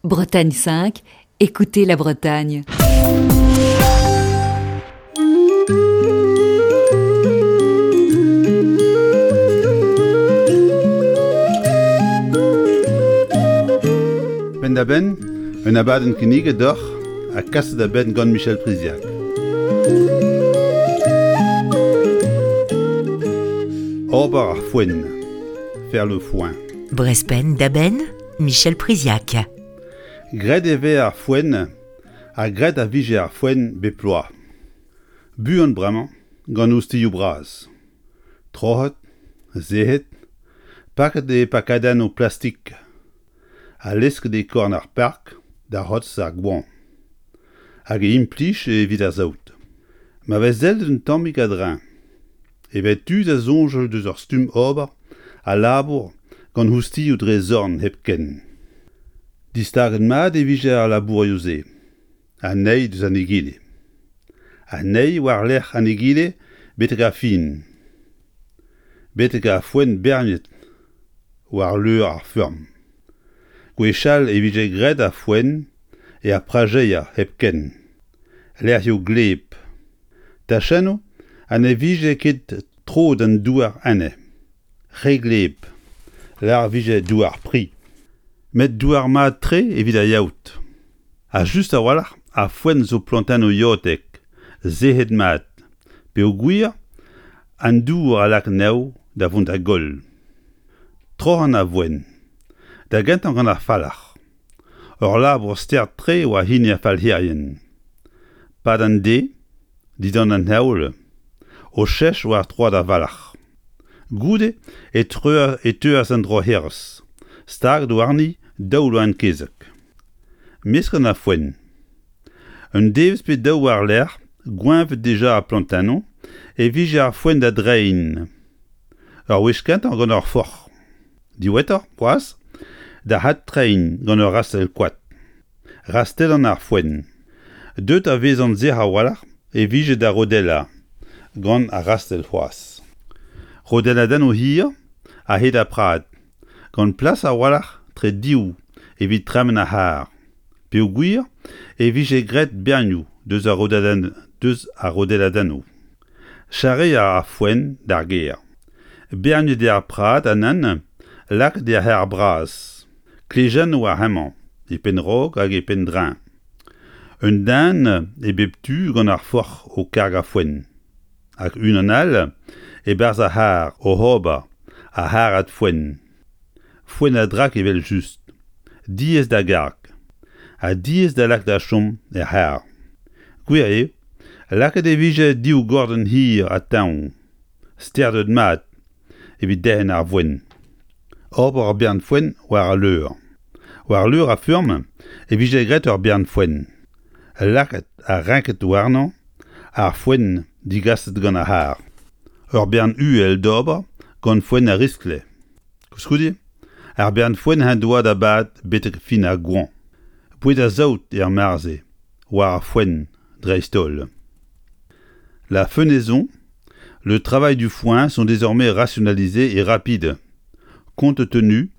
Bretagne 5, écoutez la Bretagne. Penn-da-benn, un abadenn kinniget deoc'h ha kaset da benn gant Michel Priziac. Ober ar foenn, faire le foin. Brest penn-da-benn, Michel Priziac. Graet e vez ar foenn ha graet a vije ar foenn bep bloaz. Buan bremañ gant ostilhoù bras. Troc'het, sec'het, paket e pakadennoù plastik ha lesket e korn ar park da c'hortoz ar goañv. Hag e implij evit ar saout. Ma vez sellet un tammig a-dreñv e vez tu da soñjal deus ur stumm ober al labour gant oustilhoù dre zorn hepken. Distaget mat e vije ar labourioù-se, an eil deus an egile. An eil war-lerc'h an egile betek ar fin. Betek ar foenn berniet war leur ar feurm. Gwechall e vije graet ar foenn er prajeier hepken, lec'hioù gleb, tachennoù ha ne vije ket tro d'an douar enne, re gleb, lâr 'vije douar pri. Met douar mat-tre evit ar yaout. Ha just a-walc'h ar foenn zo plantennoù yaotek, sec'het mat, peogwir an dour a lak anezho da vont da goll. Troc'han a voen. Da gentañ gant ar falc'h. Ur labour start-tre e oa hini ar falc'herien. 'Pad an deiz, dindan an heol, o chech war troad ar valc'h. Goude e e teuas an droc'herez, staget warni daou loen-kezeg. Mesket ar foenn. Un devezh pe daou war-lerc'h, gweñvet dija ar plantennoù, e vije ar foenn da dreiñ. Ur wech kentañ gant ur forc'h. Diwezhatoc'h, c'hoazh, da adtreiñ gant ur rastell koad. Rastellan ar foenn. Deuet a vezan sec'h a-walc'h e vije da rodellañ gant ar rastell c'hoazh. Rodelladennoù hir a-hed ar prad, gant plas a-walc'h tre div evit tremen ar c'harr, peogwir e vije graet bernioù deus ar deus ar rodelladennoù. Charreañ ar foenn d'ar gêr. Berniet eo ar prad ha nann lakaet er c'harr bras. Klejennoù ar hemañ e penn-raok hag e penn-dreñv. Un den e bep tu gant ar forc'h o kargañ foenn. Hag unan all e-barzh ar c'harr oc'h ober ar c'harrad foenn. Foenn a-drak evel-just, diaes da garg ha diaes da lak da chom er c'harr. Gwir eo, lakaet e vije div gordenn hir ha teñv, sterdet mat evit derc'hen ar voenn. Ober ur bern foenn war al leur. War leur ar feurm e vije graet ur bern foenn, lakaet ha renket warnañ ar foenn digaset gant ar c'harr. Ur bern uhel d'ober gant foenn a riskle. Koulskoude, ar bern foenn en doa da bad betek fin ar goañv. Boued ar saout er mare-se, war ar foenn dreist-holl. La fenaison, le travail du foin sont désormais rationalisés et rapides, compte tenu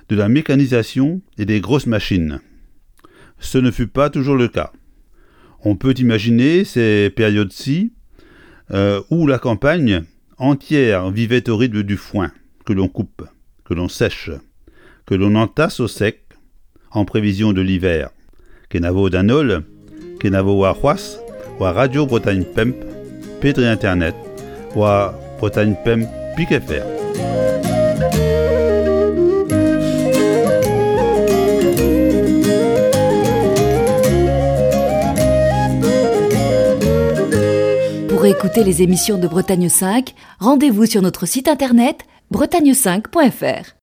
de la mécanisation et des grosses machines. Ce ne fut pas toujours le cas. On peut imaginer ces périodes-ci euh, où la campagne entière vivait au rythme du foin que l'on coupe, que l'on sèche, que l'on entasse au sec en prévision de l'hiver. Kenavo d'an holl, kenavo warc'hoazh war Radio Bretagne Pemp pe dre internet war Bretagne Pemp pik fr. Pour écouter les émissions de Bretagne 5, rendez-vous sur notre site internet bretagne5.fr.